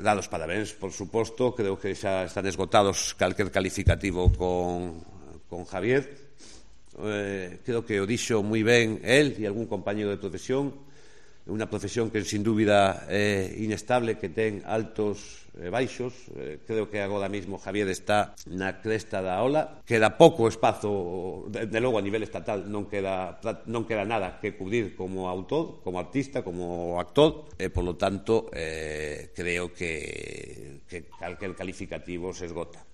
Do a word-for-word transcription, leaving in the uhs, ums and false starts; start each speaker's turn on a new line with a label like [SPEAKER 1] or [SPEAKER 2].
[SPEAKER 1] Dados parabéns, por suposto, creo que xa están esgotados calquer calificativo con, con Javier. Eh, creo que o dixo moi ben el e algún compañero de profesión. Unha profesión que sin dúbida é inestable, que ten altos e baixos. Eh, creo que agora mesmo Javier está na cresta da ola. Queda pouco espazo, de, de logo a nivel estatal non queda, non queda nada que cubrir como autor, como artista, como actor, e polo tanto eh, creo que, que calquer calificativo se esgota.